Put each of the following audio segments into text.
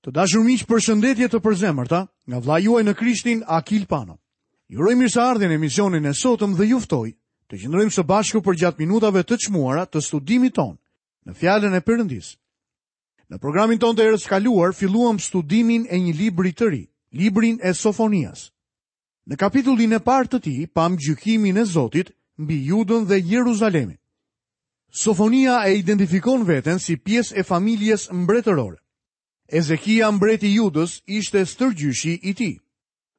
Të dashur miq, përshëndetje të përzemërta nga vëllai juaj në Krishtin Akil Pano. Ju uroj mirëseardhjen në emisionin e sotëm dhe ju ftoj të qëndrojmë së bashku përgjatë minutave të çmuara të studimit tonë në Fjalën e Perëndisë. Në programin tonë të herës së kaluar filluam studimin e një libri të ri, librin e Sofonias. Në kapitullin e parë të tij pamë gjykimin e Zotit mbi Judën dhe Jeruzalemin. Sofonia e identifikon veten si pjesë e familjes mbretërore. Ezekia mbreti i Judës ishte stërgjyshi i tij.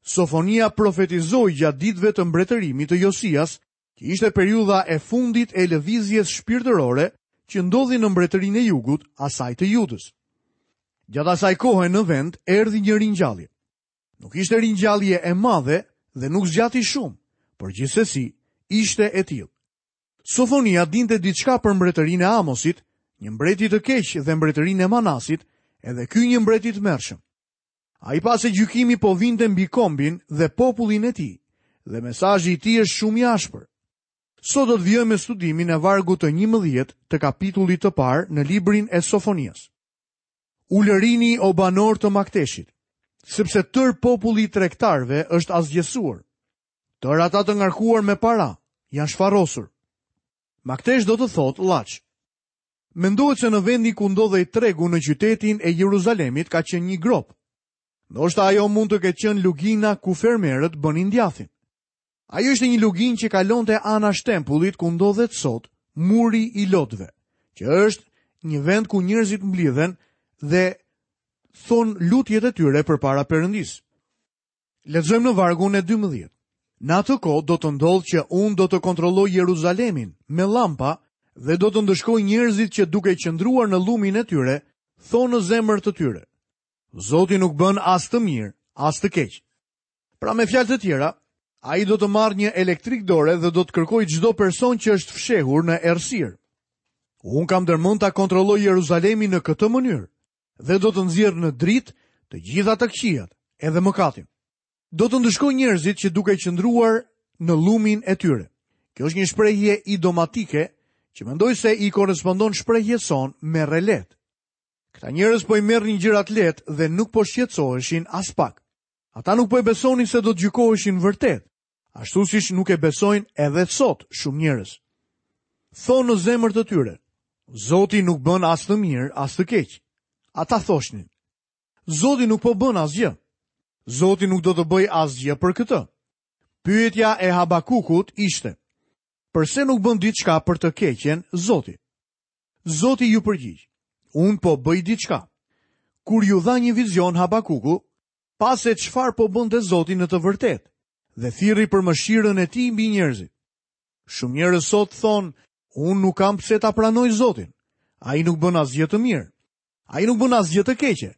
Sofonia profetizoi gjatë ditëve të mbretërimit të Josias, që ishte periudha e fundit e lëvizjes shpirtërore që ndodhi në mbretërinë e jugut, asaj të Judës. Gjatë asaj kohe në vend erdhi një ringjallje. Nuk ishte ringjallje e madhe dhe nuk zgjati shumë, por gjithsesi ishte e tillë. Sofonia dinte diçka për mbretërinë e Amosit, një mbreti të keq dhe mbretërinë e Manasit, edhe ky një mbret i tmerrshëm. Ai pa se gjykimi po vinte mbi kombin dhe popullin e tij, dhe mesazhi i tij është shumë i ashpër. Sot do të vijojmë me studimin e vargut të 11 të kapitullit të parë në librin e Sofonias. Ulërini o banorë të Makteshit, sepse tërë populli i tregtarëve është asgjësuar. Tërë ata të ngarkuar me para janë shfarosur. Maktesh do të thotë llaç. Mendohet se në vendin ku ndodhej tregu në qytetin e Jeruzalemit ka qenë një gropë. Ndoshta ajo mund të ketë qenë lugina ku fermerët bënin djathin. Ajo ishte një luginë që kalonte anash tempullit ku ndodhet sot muri i lotëve, që është një vend ku njerëzit mblidhen dhe thonë lutjet e tyre përpara Perëndisë. Lexojmë në vargun e 12. Në atë kohë do të ndodhë që unë do të kontrolloj Jeruzalemin me llampa dhe do të ndëshkoj njerëzit që duke qëndruar në llumin e tyre, thonë në zemër të tyre. Zoti nuk bën as të mirë, as të keq. Pra me fjalë të tjera, ai do të marrë një elektrik dore dhe do të kërkojë çdo person që është fshehur në errësirë. Unë kam ndërmend ta kontrolloj Jeruzalemin në këtë mënyrë dhe do të nxjerr në dritë të gjitha të këqijat, edhe mëkatin. Do të ndëshkoj njerëzit që duke qëndruar në llumin e tyre. Kjo është një shprehje idiomatike që mendoj se i korrespondon shprehjes sonë merre lehtë. Këta njerëz po i merrnin gjërat lehtë dhe nuk po shqetësoheshin aspak. Ata nuk po e besonin se do të gjykoheshin vërtet, ashtu siç nuk e besojnë edhe sot shumë njerëz. Thonë në zemër të tyre, Zoti nuk bën as të mirë, as të keq. Ata thoshnin, Zoti nuk po bën asgjë. Zoti nuk do të bëjë asgjë për këtë. Pyetja e Habakukut ishte, përse nuk bën diçka për të keqen Zoti? Zoti iu përgjigj, unë po bëj diçka. Kur iu dha një vizion Habakuku, pa se çfarë po bënte Zoti në të vërtetë dhe thirri për mëshirën e tij mbi njerëzit. Shumë njerëz sot thonë, unë nuk kam pse ta pranoj Zotin. Ai nuk bën asgjë të mirë. Ai nuk bën asgjë të keqe.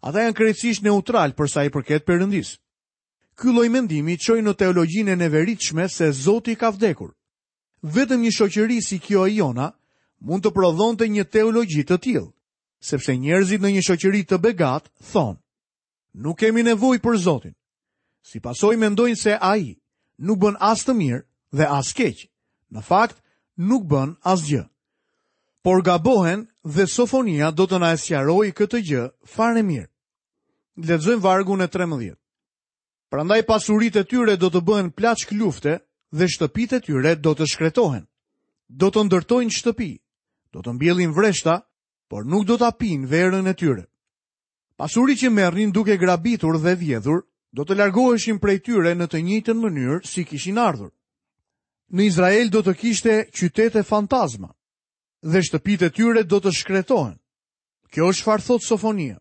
Ata janë krejtësisht neutralë për sa i përket Perëndisë. Ky lloj mendimi çoi në teologjinë e neveritshme se Zoti ka vdekur. Vetëm një shoqëri si kjo e jona mund të prodhonte një teologji të tillë, sepse njerëzit në një shoqëri të begatë thonë, nuk kemi nevojë për Zotin. Si pasojë mendojnë se ai nuk bën as të mirë dhe as keq. Në fakt, nuk bën asgjë. Por gabohen dhe Sofonia do të na e sqarojë këtë gjë fare mirë. Lexojmë vargun e 13. Prandaj pasuritë e tyre do të bëhen plaçkë lufte dhe shtëpitë e tyre do të shkretohen. Do të ndërtojnë shtëpi, do të mbjellin vreshta, por nuk do ta pinë verën e tyre. Pasuritë që merrnin duke grabitur dhe vjedhur, do të largoheshin prej tyre në të njëjtën mënyrë si kishin ardhur. Në Izrael do të kishte qytete fantazma dhe shtëpitë e tyre do të shkretohen. Kjo është çfarë thotë Sofonia.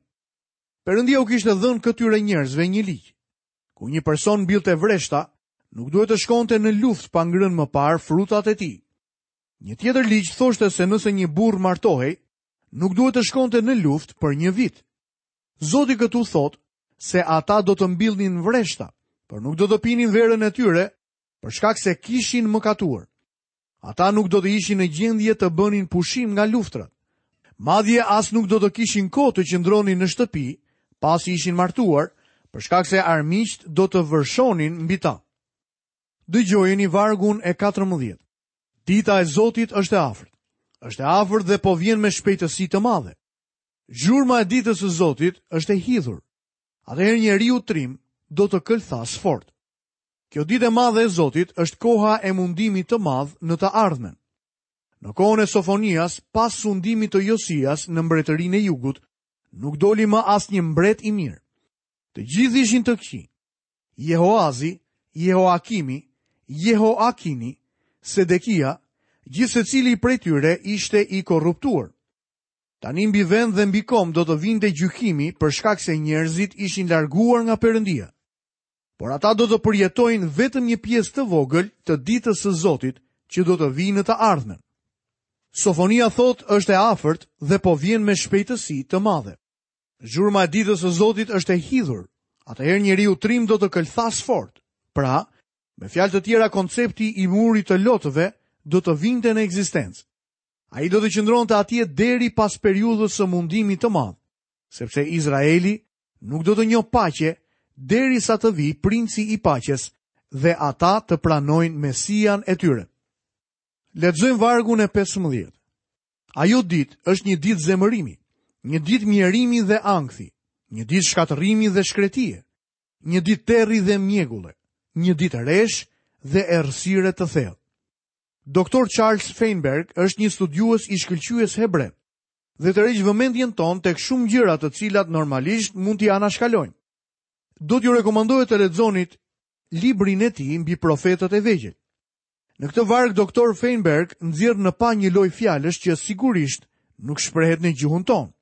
Perëndia u kishte dhënë këtyre njerëzve një ligj. Kur një person mbillte vreshta, nuk duhet të shkonte në luftë pa ngrënë më parë frutat e tij. Një tjetër ligj thoshte se nëse një burrë martohej, nuk duhet të shkonte në luftë për një vit. Zoti këtu thotë se ata do të mbillnin vreshta, por nuk do të pinin verën e tyre, për shkak se kishin mëkatuar. Ata nuk do të ishin në gjendje të bënin pushim nga luftërat. Madje as nuk do të kishin kohë të qëndronin në shtëpi, pasi ishin martuar, për shkak se armiqtë do të vërshonin mbi ta. Dëgjojeni vargun e 14. Dita e Zotit është e afërt. Është e afërt dhe po vjen me shpejtësi të madhe. Zhurma e ditës së Zotit është e hidhur. Atëherë njeriu trim do të këlthasë fort. Kjo ditë e madhe e Zotit është koha e mundimit të madh në të ardhmen. Në kohën e Sofonias, pas sundimit të Josias në mbretërinë e Jugut, nuk doli më asnjë mbret i mirë. Të gjithë ishin të këqij. Jehoazi, Jehoakimi, Jehoakini, Sedekia, gjithsecili prej tyre ishte i korruptuar. Tani mbi vend dhe mbi komb do të vinte gjykimi për shkak se njerëzit ishin larguar nga Perëndia. Por ata do të përjetojnë vetëm një pjesë të vogël të ditës së Zotit që do të vijë në të ardhmen. Sofonia thotë është e afërt dhe po vjen me shpejtësi të madhe. Zhurma e ditës së Zotit është e hidhur. Atëherë njeriu trim do të këlthasë fort. Pra, me fjalë të tjera koncepti i murit të lotëve do të vinte në ekzistencë. Ai do të qëndronte atje deri pas periudhës së mundimit të madh, sepse Izraeli nuk do të njohë paqe derisa të vijë princi i paqes dhe ata të pranojnë Mesian e tyre. Lexojmë vargun e 15. Ajo ditë është një ditë zemërimi, një ditë mjerimi dhe ankthi, një ditë shkatërrimi dhe shkretie, një ditë terri dhe mjegulle, një ditë resh dhe errësire të thellë. Doktor Charles Feinberg është një studiues i shkëlqyes hebre dhe tërheq vëmendjen tonë tek shumë gjëra të cilat normalisht mund t'i anashkalojmë. Do t'ju rekomandoja të lexonit librin e tij mbi profetët e vegjël. Në këtë varg doktor Feinberg nxjerr në pah një lojë fjalësh që sigurisht nuk shprehet në gjuhën tonë.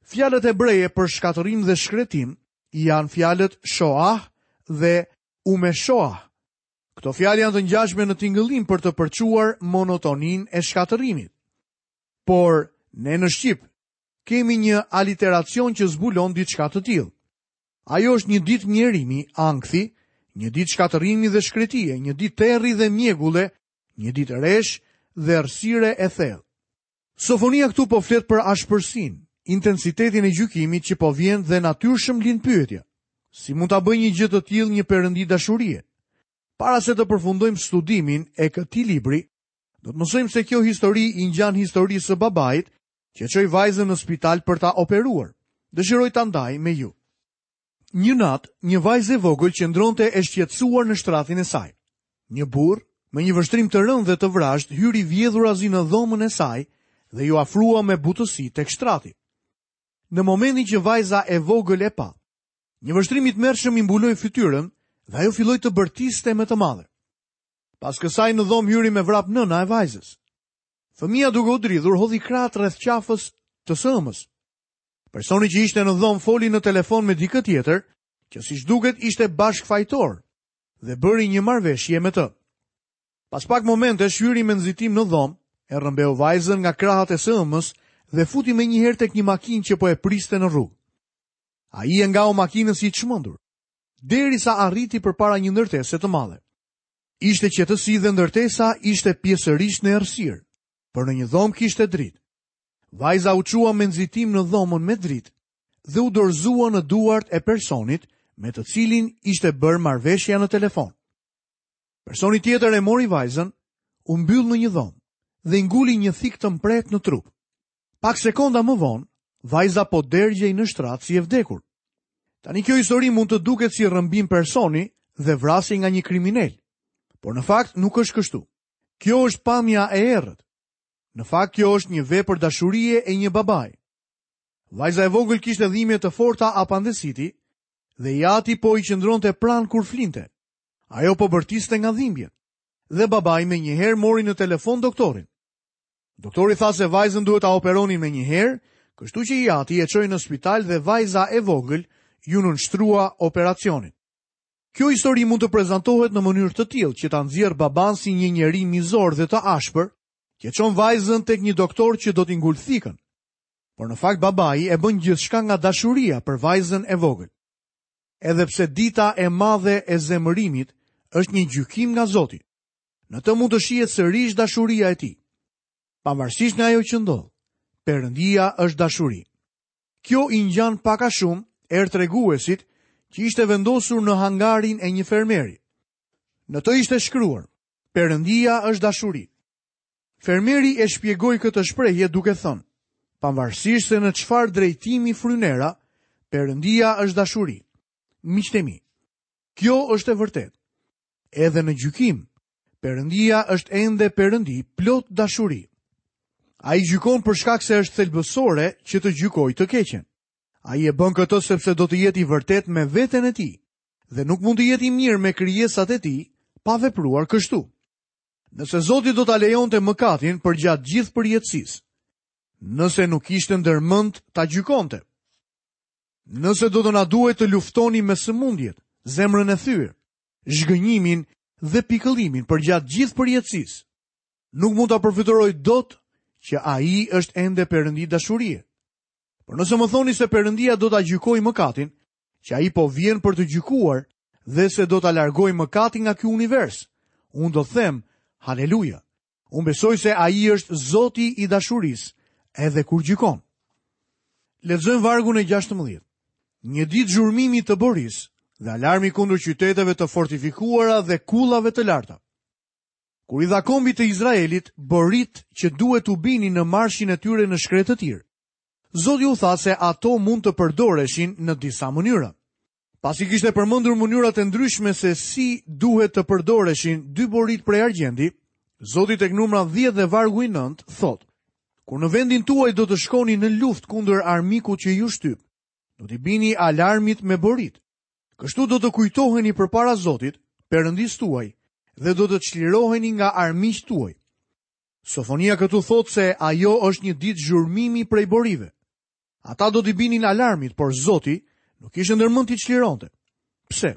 Fjalët hebreje për shkatërrim dhe shkretim janë fjalët shoah dhe umeshoah. Këto fjalë janë të ngjashme në tingëllim për të përçuar monotoninë e shkatërrimit. Por ne në shqip kemi një aliteracion që zbulon diçka të tillë. Ajo është një ditë mjerimi, ankthi, një ditë shkatërrimi dhe shkretie, një ditë terri dhe mjegulle, një ditë resh dhe errësire e thellë. Sofonia këtu po flet për ashpërsinë, intensitetin e gjykimit që po vjen dhe natyrshëm lind pyetja. Si mund ta bëjë një gjë të tillë një perëndi dashurie? Para se të përfundojmë studimin e këtij libri, do të mësojmë se kjo histori i ngjan historisë së babait që çoi vajzën në spital për ta operuar. Dëshiroj ta ndaj me ju. Një natë, një vajzë e vogël qëndronte e shqetësuar në shtratin e saj. Një burrë, me një vështrim të rëndë dhe të vrazhdë, hyri vjedhurazi në dhomën e saj dhe iu afrua me butësi tek shtrati. Në momentin që vajza e vogël e pa, një vështrim i tmerrshëm i mbuloi fytyrën dhe ajo filloi të bërtiste me të madhe. Pas kësaj në dhomë hyri me vrap nëna e vajzës. Fëmija duke u dridhur hodhi krahët rreth qafës të së ëmës. Personi që ishte në dhomë foli në telefon me dikë tjetër, që siç duket ishte bashkëfajtor dhe bëri një marrëveshje me të. Pas pak momentesh hyri me nxitim në dhomë, e rrëmbeu vajzën nga krahët e së ëmës dhe futi menjëherë tek një makinë që po e priste në rrugë. Ai e ngau makinën si i çmendur, derisa arriti përpara një ndërtese të madhe. Ishte qetësi dhe ndërtesa ishte pjesërisht në errësirë, por në një dhomë kishte dritë. Vajza u çua me nxitim në dhomën me dritë dhe u dorëzua në duart e personit me të cilin ishte bërë marrëveshja në telefon. Personi tjetër e mori vajzën, u mbyll në një dhomë dhe i nguli një thikë të mprehtë në trup. Pak sekonda më vonë, vajza po dergjej në shtrat si e vdekur. Tani kjo histori mund të duket si rrëmbim personi dhe vrasje nga një kriminel. Por në fakt nuk është kështu. Kjo është pamja e errët. Në fakt kjo është një vepër dashurie e një babai. Vajza e vogël kishte dhimbje të forta apandesiti dhe i ati po i qëndronte pranë kur flinte. Ajo po bërtiste nga dhimbjet dhe babai menjëherë mori në telefon doktorin. Doktori tha se vajzën duhet ta operonin menjëherë, kështu që i ati e çoi në spital dhe vajza e vogël iu nënshtrua operacionit. Kjo histori mund të prezantohet në mënyrë të tillë që ta nxjerrë babanë si një njeri mizor dhe të ashpër, që çon vajzën tek një doktor që do t'i ngulë thikën. Por në fakt babai e bën gjithçka nga dashuria për vajzën e vogël. Edhe pse dita e madhe e zemërimit është një gjykim nga Zoti, në të mund të shihet sërish dashuria e tij. Pavarësisht nga ajo që ndodh, Perëndia është dashuri. Kjo i ngjan pak a shumë erëtreguesit që ishte vendosur në hangarin e një fermeri. Në të ishte shkruar, Perëndia është dashuri. Fermeri e shpjegoi këtë shprehje duke thënë, Pavarësisht se në çfarë drejtimi fryn era, Perëndia është dashuri. Miqtë e mi, kjo është e vërtetë. Edhe në gjykim, Perëndia është ende Perëndi plot dashuri. Ai gjykon për shkak se është thelbësore që të gjykojë të keqen. Ai e bën këtë sepse do të jetë i vërtetë me veten e tij dhe nuk mund të jetë i mirë me krijesat e tij pa vepruar kështu. Nëse Zoti do ta lejonte mëkatin përgjatë gjithë përjetësisë, nëse nuk kishte ndërmend ta gjykonte, nëse do të na duhej të luftonim me sëmundjet, zemrën e thyer, zhgënjimin dhe pikëllimin përgjatë gjithë përjetësisë, nuk mund ta përfytyroj dot që ai është ende Perëndi dashurie. Por nëse më thoni se Perëndia do ta gjykojë mëkatin, që ai po vjen për të gjykuar dhe se do ta largojë mëkatin nga ky univers, unë do të them haleluja. Unë besoj se ai është Zoti i dashurisë edhe kur gjykon. Lexojmë vargun e 16. Një ditë zhurmimi të borisë dhe alarmi kundër qyteteve të fortifikuara dhe kullave të larta. Kur i dha kombit të Izraelit boritë që duhet t'u binin në marshin e tyre në shkretëtirë, Zoti u tha se ato mund të përdoreshin në disa mënyra. Pasi kishte përmendur mënyrat e ndryshme se si duhet të përdoreshin dy boritë prej argjendi, Zoti tek Numra 10 dhe vargu i 9 thotë: Kur në vendin tuaj do të shkoni në luftë kundër armikut që ju shtyp, do t'i bini alarmit me boritë. Kështu do të kujtoheni përpara Zotit, Perëndisë tuaj, dhe do të çliroheni nga armiqtë tuaj. Sofonia këtu thotë se ajo është një ditë zhurmimi prej borive. Ata do t'i binin alarmit, por Zoti nuk kishte ndërmend t'i çlironte. Pse?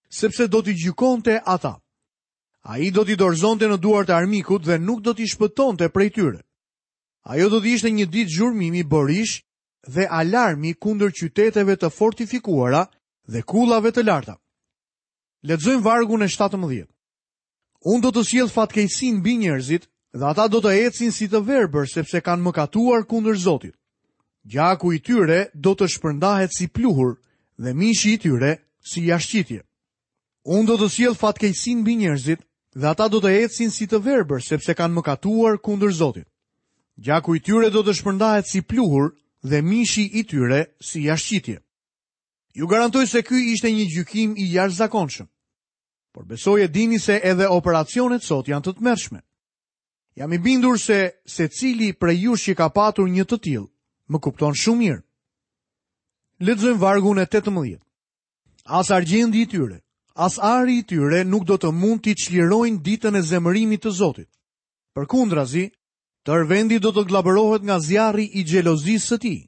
Sepse do t'i gjykonte ata. Ai do t'i dorëzonte në duart e armikut dhe nuk do t'i shpëtonte prej tyre. Ajo do të ishte një ditë zhurmimi borish dhe alarmi kundër qyteteve të fortifikuara dhe kullave të larta. Lexojmë vargun e 17. Unë do të sjell fatkeqësinë mbi njerëzit dhe ata do të ecin si të verbër sepse kanë mëkatuar kundër Zotit. Gjaku i tyre do të shpërndahet si pluhur dhe mishi i tyre si jashtëqitje. Unë do të sjell fatkeqësinë mbi njerëzit dhe ata do të ecin si të verbër sepse kanë mëkatuar kundër Zotit. Gjaku i tyre do të shpërndahet si pluhur dhe mishi i tyre si jashtëqitje. Ju garantoj se ky ishte një gjykim i jashtëzakonshëm. Por besoj e dini se edhe operacionet sot janë të tmerrshme. Jam i bindur se secili prej jush që ka patur një të tillë, më kupton shumë mirë. Lexojmë vargun e 18. As argjendi i tyre, as ari i tyre nuk do të mund t'i çlirojnë ditën e zemërimit të Zotit. Përkundrazi, tërë vendi do të gllabërohet nga zjarri i xhelozisë së tij.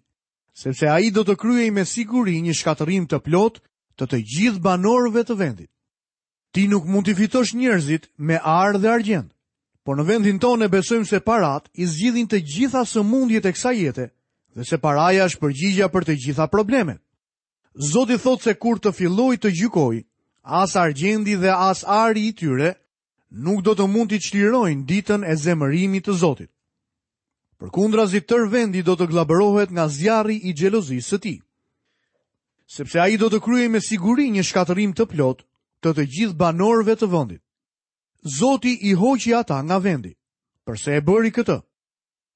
sepse ai do të kryejë me siguri një shkatërrim të plotë të të gjithë banorëve të vendit. Ti nuk mund t'i fitosh njerëzit me ar dhe argjend, por në vendin tonë ne besojmë se paratë i zgjidhin të gjitha sëmundjet e kësaj jete dhe se paraja është përgjigja për të gjitha problemet. Zoti thotë se kur të fillojë të gjykojë, as argjendi dhe as ari i tyre nuk do të mund t'i çlirojnë ditën e zemërimit të Zotit. Përkundrazi tërë vendi do të gllabërohet nga zjarri i xhelozisë së tij. Sepse ai do të kryejë me siguri një shkatërrim të plotë të të gjithë banorëve të vendit. Zoti i hoqi ata nga vendi. Përse e bëri këtë?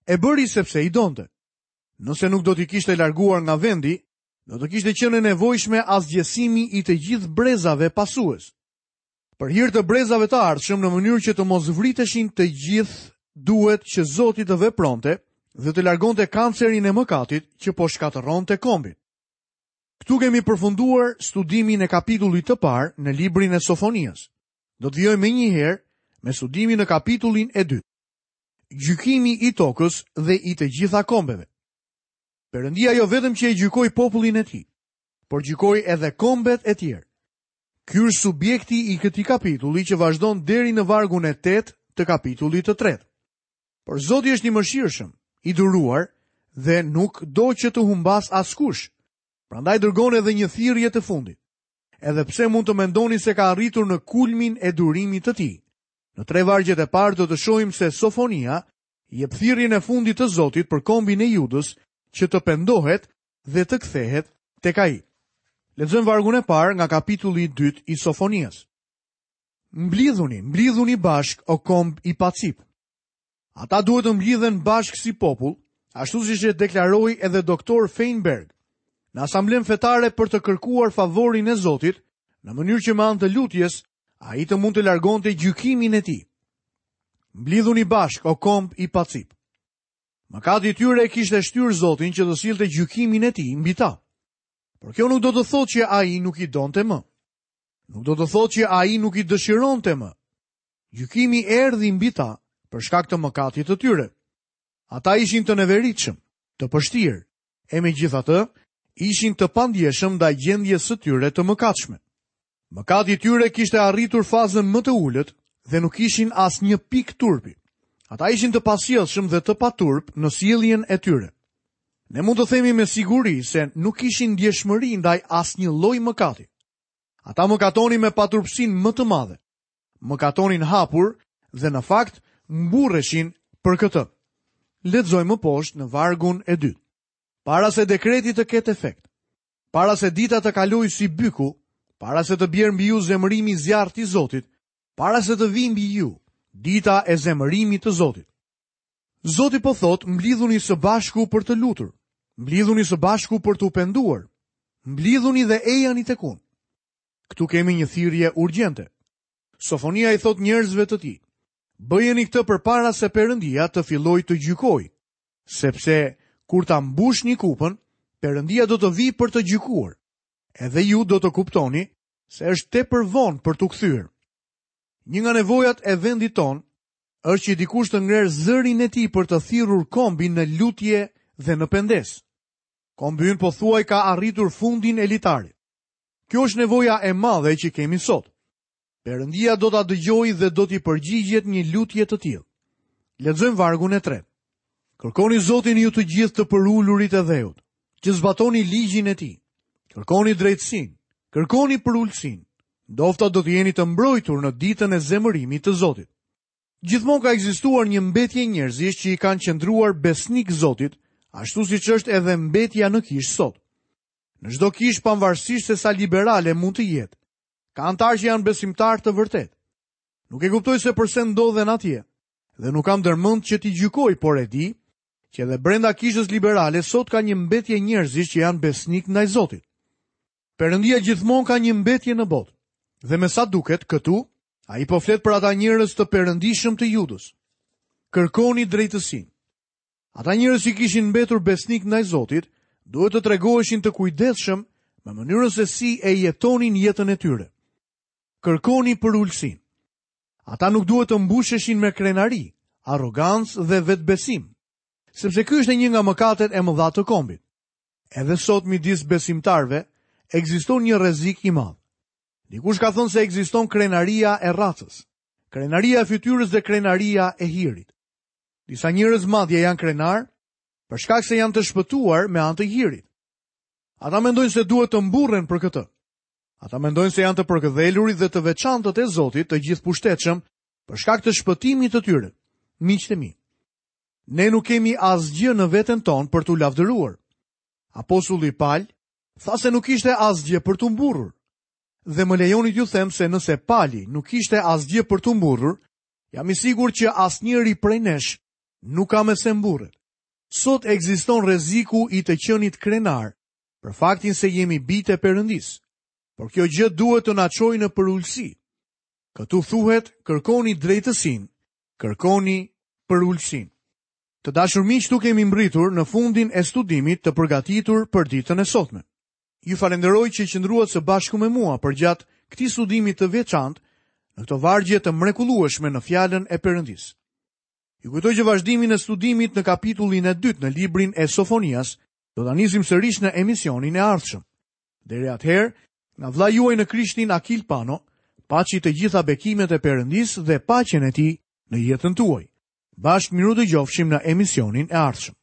E bëri sepse i donte. Nëse nuk do t'i kishte larguar nga vendi, do të kishte qenë e nevojshme asgjësimi i të gjithë brezave pasues. Për hir të brezave të ardhshëm në mënyrë që të mos vriteshin të gjithë, duhet që Zoti të vepronte dhe të largonte kancerin e mëkatit që po shkatërronte kombin. Këtu kemi përfunduar studimin e kapitullit të parë në librin e Sofonias. Do të vijojmë menjëherë me studimin në kapitullin e dytë. Gjykimi i tokës dhe i të gjitha kombeve. Perëndia jo vetëm që e gjykoi popullin e tij, por gjykoi edhe kombet e tjerë. Ky është subjekti i këtij kapitulli që vazhdon deri në vargun e 8 të kapitullit të tretë. Por Zoti është i mëshirshëm, i duruar dhe nuk do që të humbasë askush. Prandaj dërgon edhe një thirrje të fundit. Edhe pse mund të mendoni se ka arritur në kulmin e durimit të tij. Në tre vargjet e parë do të shohim se Sofonia jep thirrjen e fundit të Zotit për kombin e Judës që të pendohet dhe të kthehet tek ai. Lexojmë vargun e parë nga kapitulli i dytë i Sofonias. Mblidhuni, mblidhuni bashkë o komb i pacipë. Ata duhet të mblidhen bashkë si popull, Ashtu siç e deklaroi edhe doktor Feinberg në asamblenë fetare për të kërkuar favorin e Zotit, në mënyrë që me anë të lutjes ai të mund të largonte gjykimin e tij. Mblidhuni bashkë, o komb i pacipë. Mëkati i tyre e kishte shtyrë Zotin që të sillte gjykimin e tij mbi ta. Por kjo nuk do të thotë që ai nuk i donte më. Nuk do të thotë që ai nuk i dëshironte më. Gjykimi erdhi mbi ta për shkak të mëkatit të tyre. Ata ishin të neveritshëm, të pështirë, e megjithatë, ishin të pandjeshëm ndaj gjendjes së tyre të mëkatshme. Mëkati i tyre kishte arritur fazën më të ulët dhe nuk kishin asnjë pikë turpi. Ata ishin të pasjellshëm dhe të paturp në sjelljen e tyre. Ne mund të themi me siguri se nuk kishin ndjeshmëri ndaj asnjë lloj mëkati. Ata mëkatonin me paturpësinë më të madhe. Mëkatonin hapur dhe në fakt mburreshin për këtë. Lexojmë më poshtë në vargun e dytë. Para se dekreti të ketë efekt, para se dita të kalojë si byku, para se të bjerë mbi ju zemërimi i zjarrtë i Zotit, para se të vijë mbi ju dita e zemërimit të Zotit. Zoti po thotë, mblidhuni së bashku për të lutur, mblidhuni së bashku për t'u penduar, mblidhuni dhe ejani tek unë. Këtu kemi një thirrje urgjente. Sofonia i thotë njerëzve të tij, bëjeni këtë përpara se Perëndia të fillojë të gjykojë, sepse kur ta mbushni kupën, Perëndia do të vijë për të gjykuar. Edhe ju do të kuptoni se është tepër vonë për t'u kthyer. Një nga nevojat e vendit tonë është që dikush të ngrerë zërin e tij për të thirrur kombin në lutje dhe në pendesë. Kombi ynë pothuaj ka arritur fundin e litarit. Kjo është nevoja e madhe që kemi sot. Perëndia do ta dëgjojë dhe do t'i përgjigjet një lutje të tillë. Lexojmë vargun e tretë. Kërkoni Zotin ju të gjithë të përulurit e dheut, që zbatoni ligjin e tij. Kërkoni drejtësinë, kërkoni përulësinë. Ndofta do të jeni të mbrojtur në ditën e zemërimit të Zotit. Gjithmonë ka ekzistuar një mbetje njerëzish që i kanë qëndruar besnikë Zotit, ashtu siç është edhe mbetja në kishë sot. Në çdo kishë pavarësisht se sa liberale mund të jetë, ka anëtarë që janë besimtarë të vërtetë. Nuk e kuptoj se përse ndodhen atje dhe nuk kam ndërmend që t'i gjykoj, por e di që edhe brenda kishës liberale sot ka një mbetje njerëzish që janë besnikë ndaj Zotit. Perëndia gjithmonë ka një mbetje në botë. Dhe me sa duket këtu, ai po flet për ata njerëz të perëndishëm të Judës. Kërkoni drejtësinë. Ata njerëz që kishin mbetur besnikë ndaj Zotit, duhet të tregoheshin të kujdesshëm me mënyrën se si e jetonin jetën e tyre. Kërkoni përulësinë. Ata nuk duhet të mbusheshin me krenari, arrogancë dhe vetëbesim, sepse ky ishte një nga mëkatet e mëdha të kombit. Edhe sot midis besimtarëve ekziston një rrezik i madh. Dikush ka thënë se ekziston krenaria e racës, krenaria e fytyrës dhe krenaria e hirit. Disa njerëz madje janë krenarë për shkak se janë të shpëtuar me anë të hirit. Ata mendojnë se duhet të mburren për këtë. Ata mendojnë se janë të përkëdhelurit dhe të veçantët e Zotit të gjithëpushtetshëm për shkak të shpëtimit të tyre. Miqtë e mi, ne nuk kemi asgjë në veten tonë për t'u lavdëruar. Apostulli Pal tha se nuk kishte asgjë për t'u mburrur. Dhe më lejoni t'ju them se nëse Pali nuk kishte asgjë për t'u mburrur, Jam i sigurt që asnjëri prej nesh nuk ka me se mburret. Sot ekziston rreziku i të qenit krenar për faktin se jemi bijtë e Perëndisë. Por kjo gjë duhet të na çojë në përulësi. Këtu thuhet, kërkoni drejtësinë, kërkoni përulësinë. Të dashur miq, këtu kemi mbërritur në fundin e studimit të përgatitur për ditën e sotme. Ju falenderoj që qëndruat së bashku me mua përgjatë këtij studimi të veçantë në këto vargje të mrekullueshme në fjalën e Perëndisë. Ju kujtoj që vazhdimin e studimit në kapitullin e dytë në librin e Sofonias do ta nisim sërish në emisionin e ardhshëm. Deri atëherë, nga vëllai juaj në Krishtin Akil Pano, paçi të gjitha bekimet e Perëndisë dhe paqen e tij në jetën tuaj. Bashkë mirudëgjofshim në emisionin e ardhshëm.